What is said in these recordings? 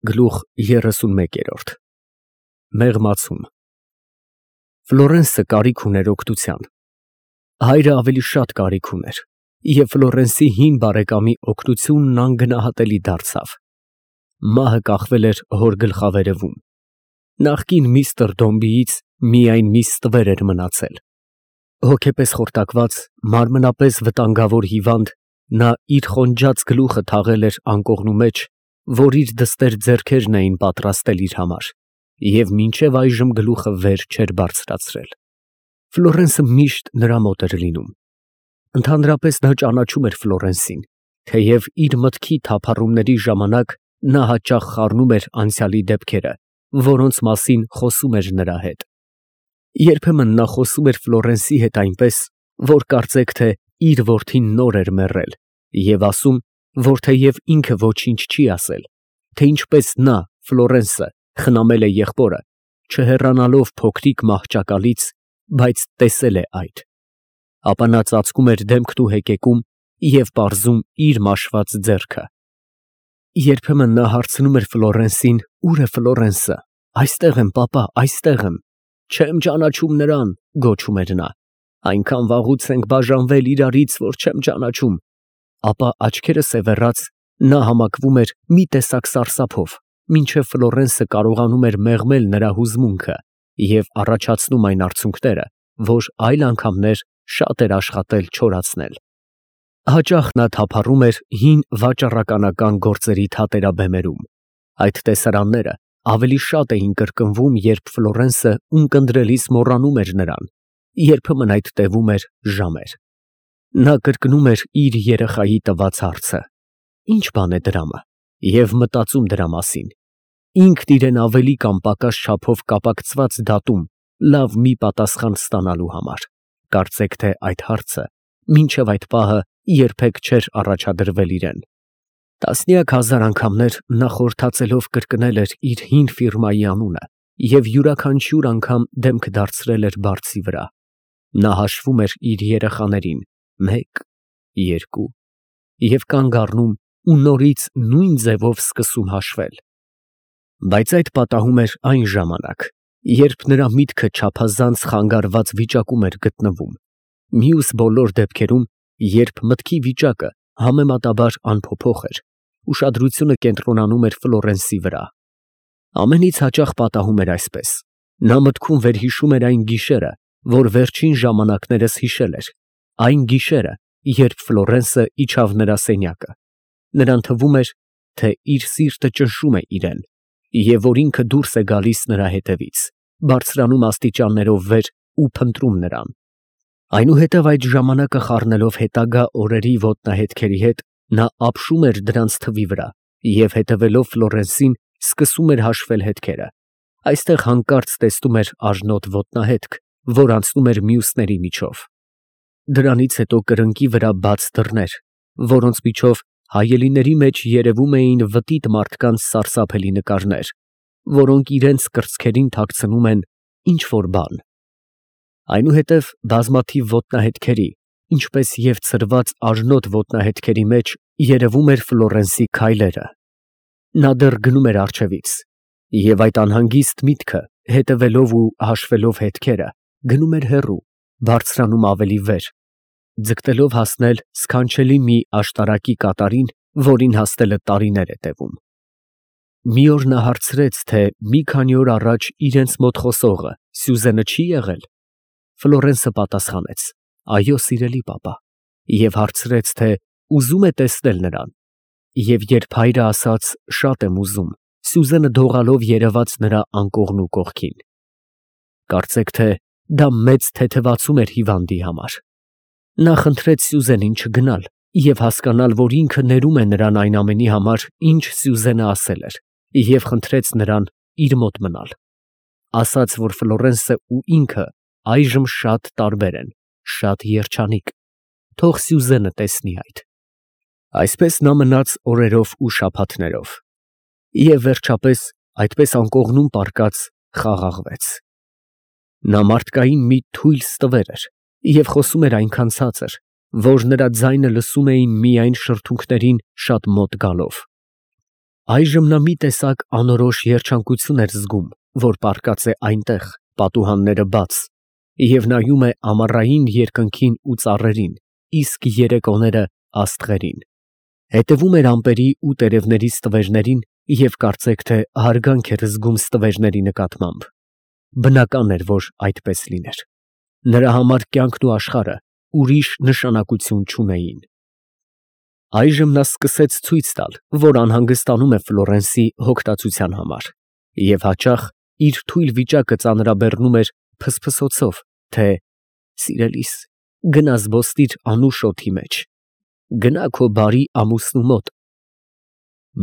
Գլուխ 31 Մեղմացում Ֆլորենսը կարիք ուներ օգնության։ Հայրը ավելի շատ կարիք ուներ, և Ֆլորենսի հին բարեկամի օգնությունն անգնահատելի դարձավ։ Մահը կախվել էր հոր գլխավերևում։ Նախկին միստր Դոմբիից միայն մի ստվեր էր մնացել։ Հոգեպես խորտակված, մարմնապես վտանգավոր հիվանդ, նա իր խոնջած գլուխը թաղել էր անկողնու մեջ, որ իր դստեր ձեռքերն էին պատրաստել իր համար, և մինչև այժմ գլուխը վեր չէր բարձրացրել։ Ֆլորենսը միշտ նրա մոտ էր լինում։ Ընդհանրապես նա ճանաչում էր Ֆլորենսին, թեև իր մտքի թափառումների ժամանակ նա հաճախ խառնում էր անցյալի դեպքերը, որոնց մասին խոսում էր նրա հետ։ Երբեմն նա խոսում էր Ֆլորենսի հետ այնպես, որ կարծեք թե իր որդին նոր էր մեռել, և ասում, որ թեև ինքը ոչինչ չի ասել, թե ինչպես նա, Ֆլորենսը, խնամել է եղբորը, չհեռանալով փոքրիկ մահճակալից, բայց տեսել է այդ։ Ապա նա ծածկում էր դեմքն ու հեկեկում և պարզում իր մաշված ձեռքը։ Երբեմն նա հարցնում էր Ֆլորենսին, ուր է Ֆլորենսը։ Այստեղ եմ, պապա, այստեղ եմ։ Չեմ ճանաչում նրան, գոչում էր նա։ Այնքան վաղուց ենք բաժանվել իրարից, որ չեմ ճանաչում։ Ապա աչքերը սևեռած, նա համակվում էր մի տեսակ սարսափով, մինչև Ֆլորենսը կարողանում էր մեղմել նրա հուզմունքը և առաջացնում այն արցունքները, որ այլ անգամներ շատ էր աշխատել չորացնել։ Հաճախ նա թափառում էր հին վաճառականական գործերի թատերաբեմերում։ Այդ տեսարանները ավելի շատ էին կրկնվում, երբ Ֆլորենսը ունկնդրելիս մոռանում էր նրան, երբեմն այդ տևում էր ժամեր։ Նա կրկնում էր իր երեխայի տված հարցը. «Ի՞նչ բան է դրամը» և մտածում դրա մասին։ Ինքն իրեն ավելի կամ պակաս չափով կապակցված դատում լավ մի պատասխան ստանալու համար։ Կարծեք թե այդ հարցը մինչև այդ պահը երբեք չէր առաջադրվել իրեն։ Տասնյակ հազար անգամներ նա խորհրդածելով կրկնել էր իր հին ֆիրմայի անունը և յուրաքանչյուր անգամ դեմքը դարձրել էր բարձի վրա։ Նա հաշվում էր իր երեխաներին՝ 1, 2 և կանգ առնում ու նորից նույն ձևով սկսում հաշվել։ Բայց այդ պատահում էր այն ժամանակ, երբ նրա միտքը չափազանց խանգարված վիճակում էր գտնվում։ Մյուս բոլոր դեպքերում, երբ մտքի վիճակը համեմատաբար անփոփոխ էր, ուշադրությունը կենտրոնանում էր Ֆլորենսի վրա։ Ամենից հաճախ պատահում էր այսպես. նա մտքում վերհիշում էր այն գիշերը, որ վերջին ժամանակներս հիշել էր, այն գիշերը, երբ Ֆլորենսը իջավ նրա սենյակը։ Նրան թվում էր, թե իր սիրտը ճնշում է իրեն, և որ ինքը դուրս է գալիս նրա հետևից, բարձրանում աստիճաններով վեր ու փնտրում նրան։ Այնուհետև այդ ժամանակը խառնելով հետագա օրերի ոտնահետքերի հետ, նա ապշում էր դրանց թվի վրա և հետևելով Ֆլորենսին սկսում էր հաշվել հետքերը։ Այստեղ հանկարծ տեսնում էր արժանոտ ոտնահետք, որ անցնում էր մյուսների միջով։ Դրանից հետո կրկնակի վրա բաց դռներ, որոնց միջով հայելիների մեջ երևում էին վտիտ մարդկանց սարսափելի նկարներ, որոնք իրենց կրծքերին թաքցնում են ինչ֊որ բան։ Այնուհետև բազմաթիվ ոտնահետքերի, ինչպես և ցրված արժանոտ ոտնահետքերի մեջ երևում էր Ֆլորենսի քայլերը։ Նա դեռ գնում էր առջևից, և այդ անհանգիստ միտքը, հետևելով ու հաշվելով հետքերը, գնում էր հեռու, բարձրանում ավելի վեր, ձգտելով հասնել սքանչելի մի աշտարակի կատարին, որին հասնելը տարիներ է տևում։ Մի օր նա հարցրեց, թե մի քանի օր առաջ իրենց մոտ խոսողը Սյուզենը չի՞ եղել։ Ֆլորենսը պատասխանեց. «Այո, սիրելի պապա», և հարցրեց, թե ուզում է տեսնել նրան։ Եվ երբ հայրը ասաց. «Շատ եմ ուզում», Սյուզենը դողալով երևաց նրա անկողնու կողքին։ Կարծեք թե դա մեծ թեթևացում էր հիվանդի համար։ Նա խնդրեց Սյուզենին չգնալ և հասկանալ, որ ինքը ներում է նրան այն ամենի համար, ինչ Սյուզենը ասել էր, և խնդրեց նրան իր մոտ մնալ։ Ասաց, որ Ֆլորենսը ու ինքը այժմ շատ տարբեր են, շատ երջանիկ, թող Սյուզենը տեսնի այդ։ Այսպես նա մնաց օրերով ու շաբաթներով, և վերջապես այդպես անկողնում պառկած խաղաղվեց։ Նա մարդկային մի թույլ ստվեր էր և խոսում էր այնքան ցածր, որ նրա ձայնը լսում էին միայն շրթունքներին շատ մոտ գալով։ Այժմ նա մի տեսակ անորոշ երջանկություն էր զգում, որ պառկած է այնտեղ, պատուհանները բաց, և նայում է ամառային երկնքին ու ծառերին, իսկ երեկոները աստղերին, հետևում էր ամպերի ու տերևների ստվերներին և կարծեք թե հարգանք էր զգում ստվերների նկատմամբ. բնական էր, որ այդպես լիներ, նրա համար կյանքն ու աշխարհը ուրիշ նշանակություն չունեին։ Այժմ նա սկսեց ցույց տալ, որ անհանգստանում է Ֆլորենսի հոգտացության համար, և հաճախ իր թույլ վիճակը ծանրաբեռնում էր փսփսոցով, թե «Սիրելիս, գնա զբոսնիր անուշ օդի մեջ, գնա քո բարի ամուսնու մոտ»։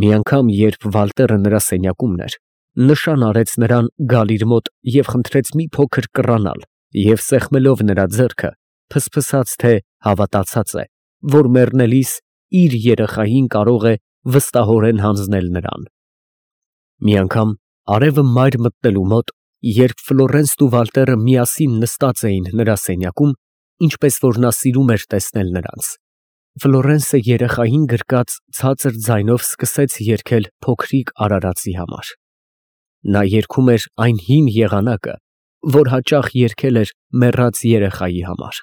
Մի անգամ, երբ Վալտերը նրա սենյակումն էր, նշան արեց նրան գալ իր մոտ և խնդրեց մի փոքր կռանալ և սեղմելով նրա ձեռքը, փսփսաց, թե հավատացած է, որ մեռնելիս իր երեխային կարող է վստահորեն հանձնել նրան։ Մի անգամ, արևը մայր մտնելու մոտ, երբ Ֆլորենսն ու Վալտերը միասին նստած էին նրա սենյակում, ինչպես որ նա սիրում էր տեսնել նրանց, Ֆլորենսը երեխային գրկած ցածր ձայնով սկսեց երգել փոքրիկ արարածի համար։ Նա երգում էր այն հին եղանակը, որ հաճախ երգել էր մեռած երեխայի համար։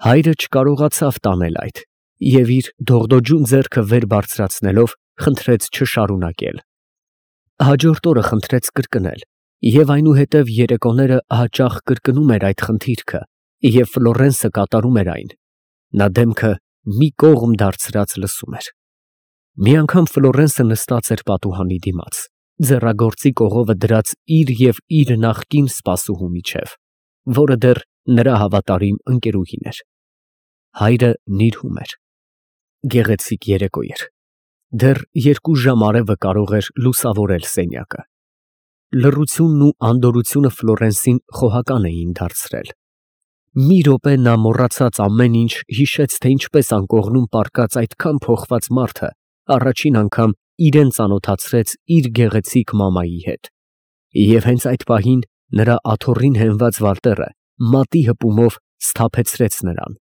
Հայրը չկարողացավ տանել այդ և իր դողդոջուն ձեռքը վեր բարձրացնելով խնդրեց չշարունակել։ Հաջորդ օրը խնդրեց կրկնել և այնուհետև երեկոները հաճախ կրկնում էր այդ խնդիրքը և Ֆլորենսը կատարում էր այն։ Նա դեմքը մի կողմ դարձրած լսում էր։ Մի անգամ Ֆլորենսը նստած էր պատուհանի դիմաց, ձեռագործի կողովը դրած իր և իր նախկին սպասուհու միջև, որը դեռ նրա հավատարիմ ընկերուհին էր։ Հայրը նիրհում էր։ Գեղեցիկ երեկո էր։ Դեռ 2 ժամ արևը կարող էր լուսավորել սենյակը։ Լռությունն ու անդորրությունը Ֆլորենսին խոհական էին դարձրել։ Մի րոպե նա մոռացած ամեն ինչ, հիշեց, թե ինչպես անկողնում պառկած այդքան փոխված մարդը առաջին անգամ իրան ծանոթացրեց իր գեղեցիկ մամայի հետ, և հենց այդ պահին նրա աթոռին հենված Վալտերը մատի հպումով սթափեցրեց նրան։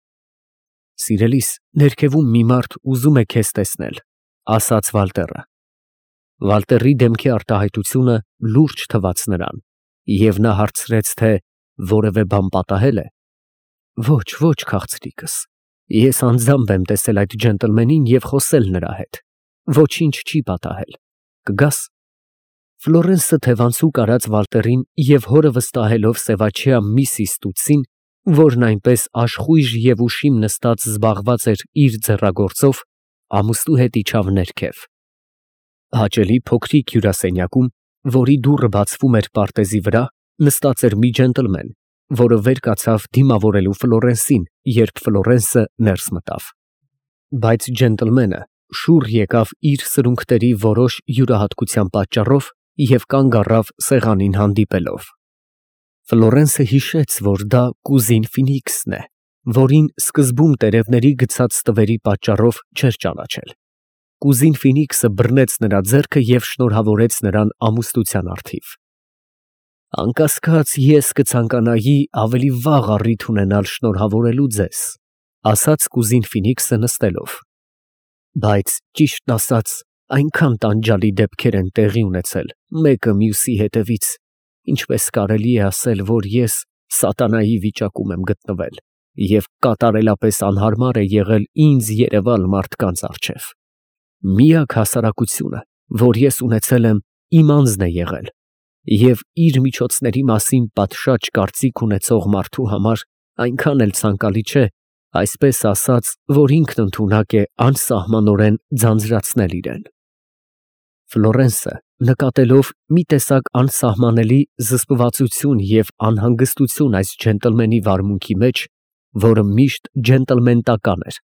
«Սիրելիս, ներքևում մի մարդ ուզում է քեզ տեսնել», ֊ ասաց Վալտերը։ Վալտերի դեմքի արտահայտությունը լուրջ թվաց նրան, և նա հարցրեց, թե որևէ բան պատահե՞լ է։ «Ոչ, ոչ, քաղցրիկս, ես անձամբ եմ տեսել այդ ջենտլմենին և խոսել նրա հետ, ոչինչ չի պատահել, կգաս»։ Ֆլորենսը թևանցուկ արած Վալտերին և հորը վստահելով սևաչյա Միսիս Տուտսին, որն այնպես աշխույժ և ուշիմ նստած զբաղված էր իր ձեռագործով, ամուսնու հետ իջավ ներքև։ Հաճելի փոքրիկ հյուրասենյակում, որի դուռը բացվում էր պարտեզի վրա, նստած էր մի ջենտլմեն, որը վեր կացավ դիմավորելու Ֆլորենսին, երբ Ֆլորենսը ներս մտավ։ Բայց ջենտլմենը շուռ եկավ իր սրունքների որոշ յուրահատկության պատճառով և կանգ առավ սեղանին հանդիպելով։ Ֆլորենսը հիշեց, որ դա կուզին Ֆինիքսն է, որին սկզբում տերևների գցած ստվերի պատճառով չէր ճանաչել։ Կուզին Ֆինիքսը բռնեց նրա ձեռքը և շնորհավորեց նրան ամուսնության առթիվ։ «Անկասկած, ես կցանկանայի ավելի վաղ առիթ ունենալ շնորհավորելու ձեզ», ֊ ասաց կուզին Ֆինիքսը նստելով։ «Բայց, ճիշտն ասած, այնքան տանջալի դեպքեր են տեղի ունեցել մեկը մյուսի հետևից, ինչպես կարելի է ասել, որ ես սատանայի վիճակում եմ գտնվել և կատարելապես անհարմար է եղել ինձ երևալ մարդկանց առջև։ Միակ հասարակությունը, որ ես ունեցել եմ, իմ անձն է եղել, և իր միջոցների մասին պատշաճ կարծիք ունեցող մարդու համար այնքան էլ ցանկալի չէ, այսպես ասած, որ ինքն ընդունակ է անսահմանորեն ձանձրացնել իրեն»։ Ֆլորենսը, նկատելով մի տեսակ անսահմանելի զսպվածություն և անհանգստություն այս ջենտլմենի վարմունքի մեջ, որը միշտ ջենտլմենտական էր,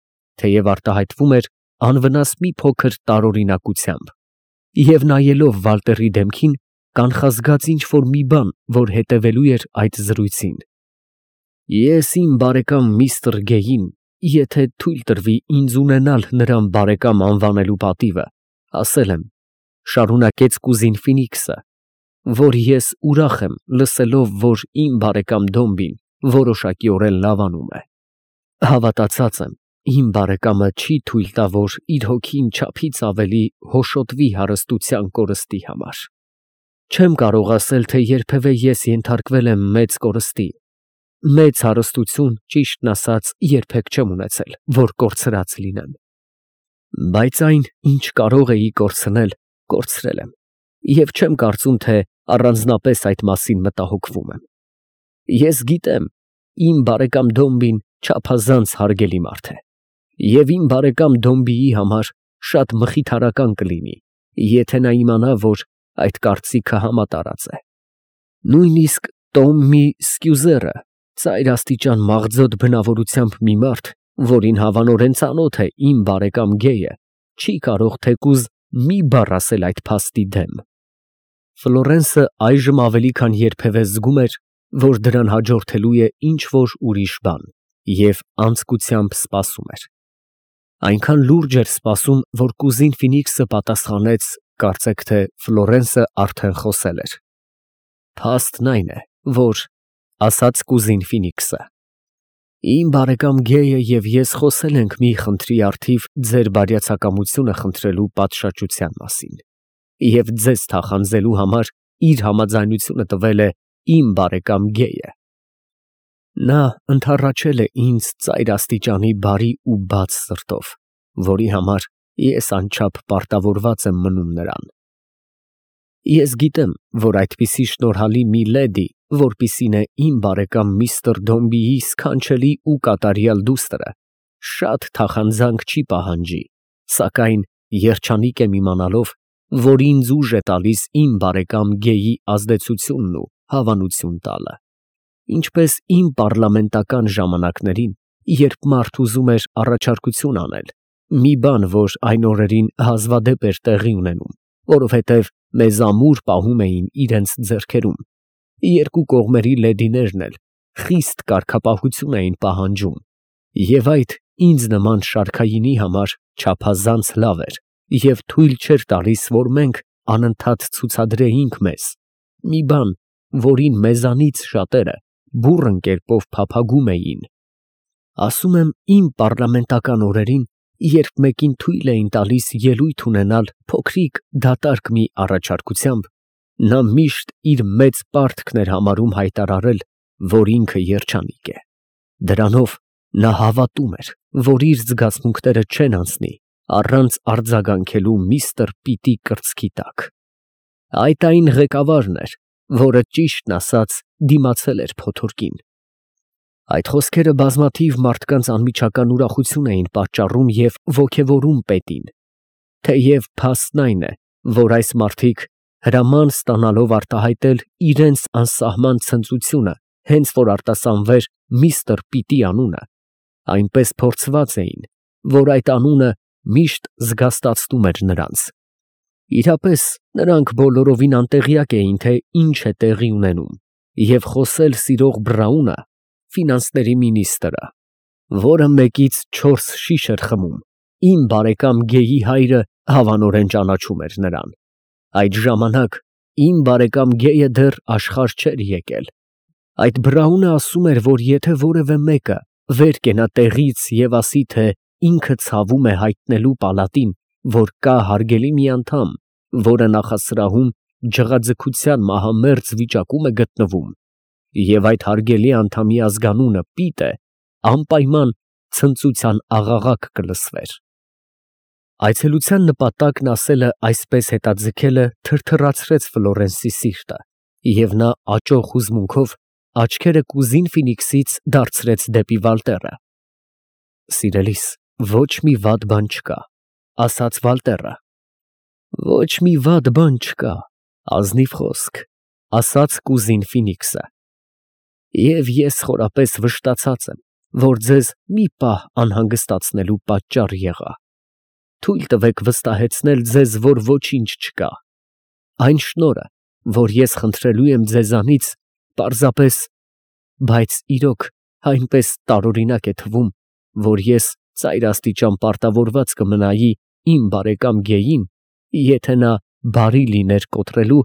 թեև արտահայտվում էր անվնաս մի փոքր տարօրինակությամբ, և նայելով Վալտերի դեմքին, կանխազգաց ինչ֊որ մի բան, որ հետևելու էր այդ զրույցին։ «Ես իմ բարեկամ միստր Գեյին, եթե թույլ տրվի ինձ ունենալ նրան բարեկամ անվանելու պատիվը, ասել եմ, ֊ շարունակեց կուզին Ֆինիքսը, ֊ որ ես ուրախ եմ լսելով, որ իմ բարեկամ Դոմբին որոշակիորեն լավանում է։ Հավատացած եմ իմ բարեկամը չի թույլ տա, որ իր հոգին չափից ավելի հոշոտվի հարստության կորստի համար։ Չեմ կարող ասել, թե երբևէ ես ենթարկվել եմ մեծ կորստի, մեծ հարստություն, ճիշտն ասած, երբեք չեմ ունեցել, որ կորցրած լինեմ։ Բայց այն, ինչ կարող էի կորցնել, կորցրել եմ, և չեմ կարծում, թե առանձնապես այդ մասին մտահոգվում եմ։ Ես գիտեմ, իմ բարեկամ Դոմբին չափազանց հարգելի մարդ է, և իմ բարեկամ Դոմբիի համար շատ մխիթարական կլինի, եթե նա իմանա, որ այդ կարծիքը համատարած է։ Նույնիսկ Տոմմի Սկյուզերը, ծայրաստիճան մաղձոտ բնավորությամբ մի մարդ, որին հավանորեն ծանոթ է իմ բարեկամ Գեյը, չի կարող թեկուզ մի բառ ասել այդ փաստի դեմ։ Ֆլորենսը այժմ ավելի քան երբևէ զգում էր, որ դրան հաջորդելու է ինչ-որ ուրիշ բան, և անձկությամբ սպասում էր։ Այնքան լուրջ էր սպասում, որ կուզին Ֆինիքսը պատասխանեց, կարծեք թե Ֆլորենսը արդեն խոսել էր։ Փաստն այն է, որ, ասաց կուզին Ֆինիքսը, իմ բարեկամ Գեյը և ես խոսել ենք մի խնդրի առթիվ ձեր բարյացակամությունը խնդրելու պատշաճության մասին, և ձեզ թախանձելու համար իր համաձայնությունը տվել է իմ բարեկամ Գեյը։ Նա ընդառաջել է ինձ ծայրաստիճանի բարի ու բաց սրտով, որի համար ես անչափ պարտավորված եմ մնում նրան։ Ես գիտեմ, որ այդպիսի շնորհալի մի լեդի, որպիսին է իմ բարեկամ միստր Դոմբիի սքանչելի ու կատարյալ դուստրը, շատ թախանձանք չի պահանջի, սակայն երջանիկ եմ իմանալով, որ ինձ ուժ է տալիս իմ բարեկամ Գեյի ազդեցությունն ու հավանություն տալը, ինչպես իմ պառլամենտական ժամանակներին, երբ մարդ ուզում էր առաջարկություն անել, մի բան, որ այն օրերին հազվադեպ էր տեղի ունենում, որովհետև մեզ ամուր պահում էին իրենց ձեռքերում, երկու կողմերի լեդիներն էլ խիստ կարգապահություն էին պահանջում, և այդ ինձ նման շարքայինի համար չափազանց լավ էր և թույլ չէր տալիս, որ մենք անընդհատ ցուցադրեինք մեզ, մի բան, որին մեզանից շատերը բուռն կերպով փափագում էին։ Ասում եմ իմ պառլամենտական օրերին, երբ մեկին թույլ էին տալիս ելույթ ունենալ փոքրիկ դատարկ մի առաջարկությամբ, նա միշտ իր մեծ պարտքն էր համարում հայտարարել, որ ինքը երջանիկ է։ Դրանով նա հավատում էր, որ իր զգացմունքները չեն անցնի առանց արձագանքելու միստր Պիտի կրծքի տակ։ Այդ այն ղեկավարն էր, որը ճիշտն ասած դիմացել էր փոթորկին։ Այդ խոսքերը բազմաթիվ մարդկանց անմիջական ուրախություն էին պատճառում և ոգևորում պետին, թեև փաստն այն է, որ այս մարդիկ հրաման ստանալով արտահայտել իրենց անսահման ցնծությունը, հենց որ արտասանվեր միստր Պիտի անունը, այնպես փորձված էին, որ այդ անունը միշտ զգաստացնում էր նրանց։ Իրապես նրանք բոլորովին անտեղյակ էին, թե ինչ է տեղի ունենում, և խոսել սիրող Բրաունը, ֆինանսների մինիստրը, որը մեկից 4 շիշ էր խմում, իմ բարեկամ Գեյի հայրը հավանորեն ճանաչում էր նրան։ Այդ ժամանակ իմ բարեկամ Գեյը դեռ աշխարհ չէր եկել։ Այդ Բրաունը ասում էր, որ եթե որևէ մեկը վեր կենա տեղից և ասի, թե ինքը ցավում է հայտնելու պալատին, որ կա հարգելի մի անդամ, որը նախասրահում ջղաձգության մահամերձ վիճակում է գտնվում, և այդ հարգելի անդամի ազգանունը Պիտ է, անպայման ցնծության աղաղակ կլսվեր։ Այցելության նպատակն ասելը այսպես հետաձգելը թրթռացրեց Ֆլորենսի սիրտը, և նա աճող հուզմունքով աչքերը կուզին Ֆինիքսից դարձրեց դեպի Վալտերը։ Սիրելիս, ոչ մի վատ բան չկա, ասաց Վալտերը։ Ոչ մի վատ բան չկա, ազնիվ խոսք, ասաց կուզին Ֆինիքսը։ Եվ ես խորապես վշտացած եմ, որ ձեզ մի պահ անհանգստացնելու պատճառ եղա։ Թույլ տվեք վստահեցնել ձեզ, որ ոչինչ չկա։ Այն շնորհը, որ ես խնդրելու եմ ձեզանից, պարզապես, բայց իրոք այնպես տարօրինակ է թվում, որ ես ծայրաստիճան պարտավորված կմնայի իմ բարեկամ Գեյին, եթե նա բարի լիներ կոտրելու,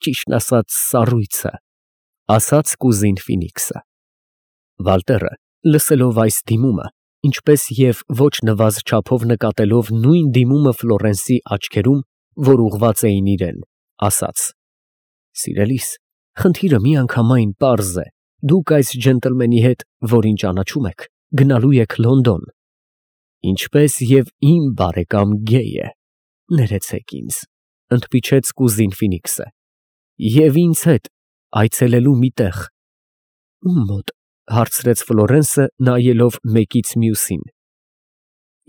ճիշտն ասած, սառույցը, ասաց կուզին Ֆինիքսը։ Վալտերը, լսելով այս դիմումը, ինչպես և ոչ նվազ չափով նկատելով նույն դիմումը Ֆլորենսի աչքերում, որ ուղղված էին իրան, ասաց. «Սիրելիս, խնդիրը միանգամայն պարզ է. դուք այս ջենտլմենի հետ, որին ճանաչում եք, գնալու եք Լոնդոն, ինչպես և իմ բարեկամ Գեյը, ներեցեք ինձ, ընդմիջեց կուզին Ֆինիքսը, և ինձ հետ այցելելու մի տեղ»։ Ում մոտ, հարցրեց Ֆլորենսը, նայելով մեկից մյուսին։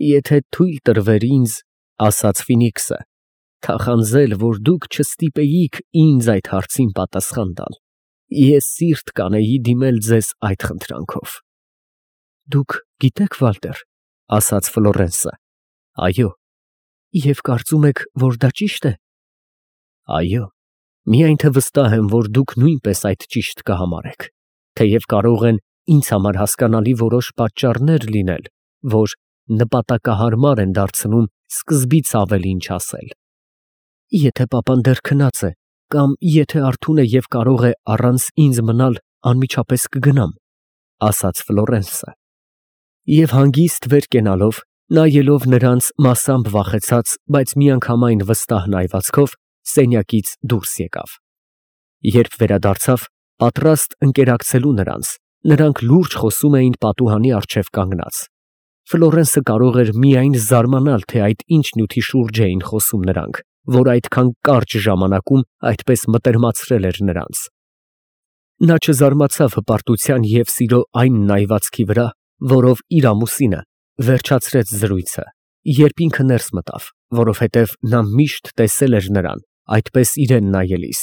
Եթե թույլ տրվեր ինձ, ասաց Ֆինիքսը, թախանձել, որ դուք չստիպեիք ինձ այդ հարցին պատասխան տալ, ես սիրտ կանեի դիմել ձեզ այդ խնդրանքով։ Դուք գիտեք, Վալտեր, ասաց Ֆլորենսը, այո, և կարծում եք, որ դա ճիշտ է։ Այո, միայն թե վստահ եմ, որ դուք նույնպես այդ ճիշտ կհամարեք, թեև կարող են ինձ համար հասկանալի որոշ պատճառներ լինել, որ նպատակահարմար են դարձնում սկզբից ավելի ինչ ասել։ Եթե պապան դեռ քնած է, կամ եթե արթուն է և կարող է առանց ինձ մնալ, անմիջապես կգնամ, ասաց Ֆլորենսը։ Եվ հանգիստ վեր կենալով, նայելով նրանց մասամբ վախեցած, բայց միանգամայն վստահ նայվածքով, սենյակից դուրս եկավ։ Երբ վերադարձավ, պատրաստ ընկերակցելու նրանց, նրանք լուրջ խոսում էին պատուհանի առջև կանգնած։ Ֆլորենսը կարող էր միայն զարմանալ, թե այդ ինչ նյութի շուրջ էին խոսում նրանք, որ այդքան կարճ ժամանակում այդպես մտերմացրել էր նրանց։ Նա չզարմացավ հպարտության և սիրո այն նայվածքի վրա, որով իր ամուսինը վերջացրեց զրույցը, երբ ինքը ներս մտավ, որովհետև նա միշտ տեսել էր նրան այդպես իրան նայելիս։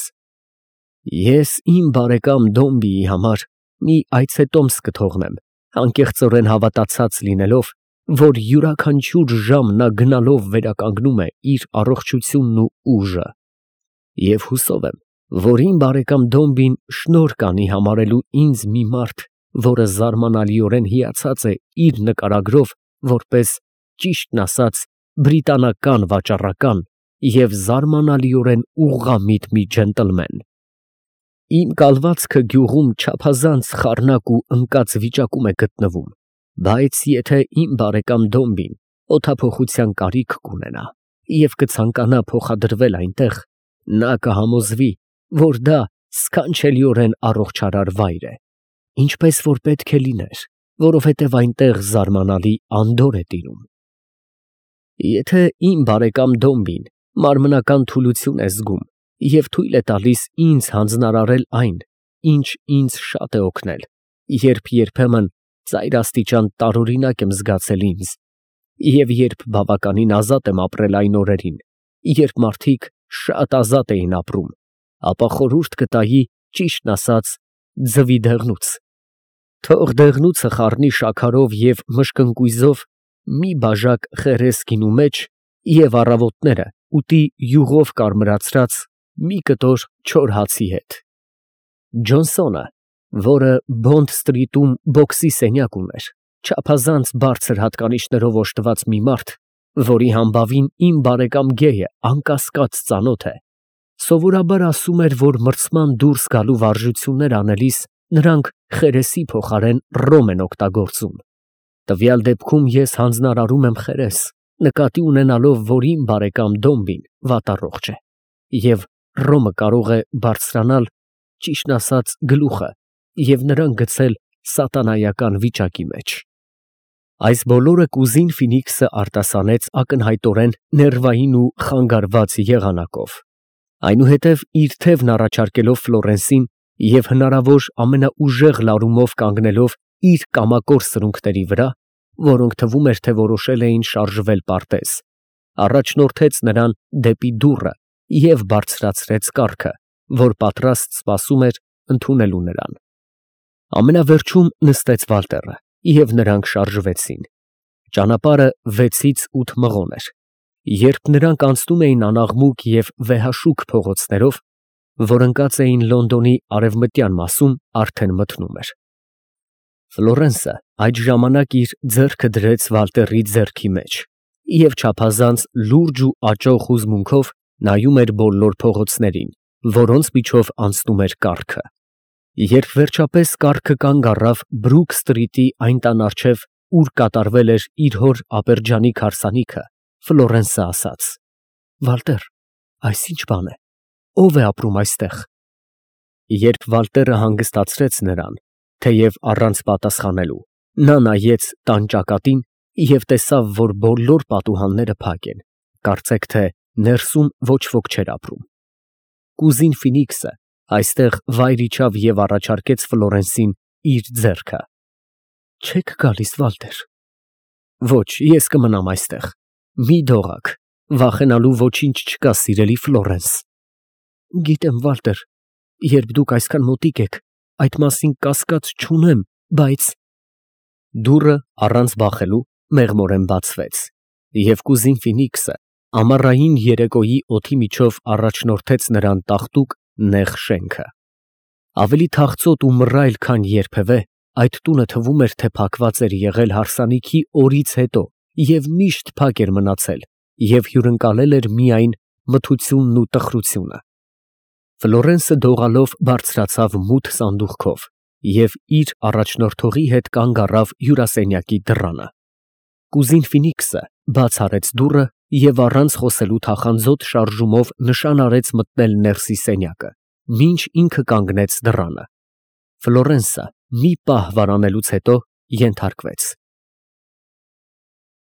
Ես իմ բարեկամ Դոմբիի համար մի այցետոմս կթողնեմ, անկեղծորեն հավատացած լինելով, որ յուրաքանչյուր ժամ նա գնալով վերականգնում է իր առողջությունն ու ուժը։ Եվ հուսով եմ, որ իմ բարեկամ Դոմբին շնորհ կանի համարելու ինձ մի մարդ, որը զարմանալիորեն հիացած է իր նկարագրով, որպես, ճիշտն ասած, բրիտանական վաճառական և զարմանալիորեն ուղղամիտ մի ջենտլմեն։ Իմ կալվածքը գյուղում չափազանց խառնակ ու ընկած վիճակում է գտնվում, բայց եթե իմ բարեկամ Դոմբին օդափոխության կարիք կունենա և կցանկանա փոխադրվել այնտեղ, նա կհամոզվի, որ դա սքանչելիորեն առողջարար վայր է, ինչպես որ պետք է լիներ, որովհետև այնտեղ զարմանալի անդորր է տիրում։ Եթե իմ բարեկամ Դոմբին մարմնական թուլություն է զգում և թույլ է տալիս ինձ հանձնարարել այն, ինչ ինձ շատ է օգնել, երբ երբեմն ծայրաստիճան տարօրինակ եմ զգացել ինձ, և երբ բավականին ազատ եմ ապրել այն օրերին, երբ մարդիկ շատ ազատ էին ապրում, ապա խորհուրդ կտայի, ճիշտն ասած, ձվի դեղնուց։ Թող դեղնուցը խառնի շաքարով և մշկընկույզով մի բաժակ խերես գինու մեջ և առավոտները ուտի յուղով կարմրացրած մի կտոր չոր հացի հետ։ Ջոնսոնը, որը Բոնդ սթրիթում բոքսի սենյակ ուներ, չափազանց բարձր հատկանիշներով օժտված մի մարդ, որի համբավին իմ բարեկամ Գեյը անկասկած ծանոթ է, սովորաբար ասում էր, որ մրցման դուրս գալու վարժություններ անելիս նրանք խերեսի փոխարեն ռոմ են օգտագործում։ Տվյալ դեպքում ես հանձնարարում եմ խերես, նկատի ունենալով, որ իմ բարեկամ Դոմբին վատառողջ է, և ռոմը կարող է բարձրանալ, ճիշտն ասած, գլուխը և նրան գցել սատանայական վիճակի մեջ։ Այս բոլորը կուզին Ֆինիքսը արտասանեց ակնհայտորեն ներվային ու խանգարված եղանակով։ Այնուհետև իր թևն առաջարկելով Ֆլորենսին և հնարավոր ամենաուժեղ լարումով կանգնելով իր կամակոր սրունքների վրա, որոնք թվում էր, թե որոշել էին շարժվել պարտեզ, առաջնորդեց նրան դեպի դուռը և բարձրացրեց կառքը, որ պատրաստ սպասում էր ընդունելու նրան։ Ամենավերջում նստեց Վալտերը, և նրանք շարժվեցին։ Ճանապարհը 6-8 մղոն էր։ Երբ նրանք անցնում էին անաղմուկ և վեհաշուք փողոցներով, որ ընկած էին Լոնդոնի արևմտյան մասում, արդեն մթնում էր։ Ֆլորենսը այդ ժամանակ իր ձեռքը դրեց Վալտերի ձեռքի մեջ և չափազանց լուրջ ու աճող հուզմունքով նայում էր բոլոր փողոցներին, որոնց միջով անցնում էր կառքը։ Երբ վերջապես կառքը կանգ առավ Բրուք սթրիթի այն տան առջև, ուր կատարվել էր իր հոր Աբերջանիկ հարսանիքը, Ֆլորենսը ասաց. «Վալտեր, այս ի՞նչ բան է, ո՞վ է ապրում այստեղ»։ Երբ Վալտերը հանգստացրեց նրան, թեև առանց պատասխանելու, նա նայեց տան ճակատին և տեսավ, որ բոլոր պատուհանները փակ են, կարծեք թե ներսում ոչ ոք չէր ապրում։ Կուզին Ֆինիքսը այստեղ վայր իջավ և առաջարկեց Ֆլորենսին իր ձեռքը։ «Չե՞ք գալիս, Վալտեր»։ «Ոչ, ես կմնամ այստեղ, մի դողաք, վախենալու ոչինչ չկա, սիրելի Ֆլորենս»։ «Գիտեմ, Վալտեր, երբ դուք այսքան մոտիկ եք, այդ մասին կասկած չունեմ, բայց…» Դուռը առանց բախելու մեղմորեն բացվեց, և կուզին Ֆինիքսը ամառային երեկոյի օդի միջով առաջնորդեց նրան տաղտուկ նեղ շենքը։ Ավելի թախծոտ ու մռայլ, քան երբևէ, այդ տունը թվում էր, թե փակված էր եղել հարսանիքի օրից հետո և միշտ փակ էր մնացել և հյուրընկալել էր միայն մթությունն ու տխրությունը։ Ֆլորենսը դողալով բարձրացավ մութ սանդուղքով և իր առաջնորդողի հետ կանգ առավ հյուրասենյակի դռանը։ Կուզին Ֆինիքսը բաց արեց դուռը և առանց խոսելու թախանձոտ շարժումով նշան արեց մտնել ներսի սենյակը, մինչ ինքը կանգնեց դռանը։ Ֆլորենսը մի պահ վարանելուց հետո ենթարկվեց։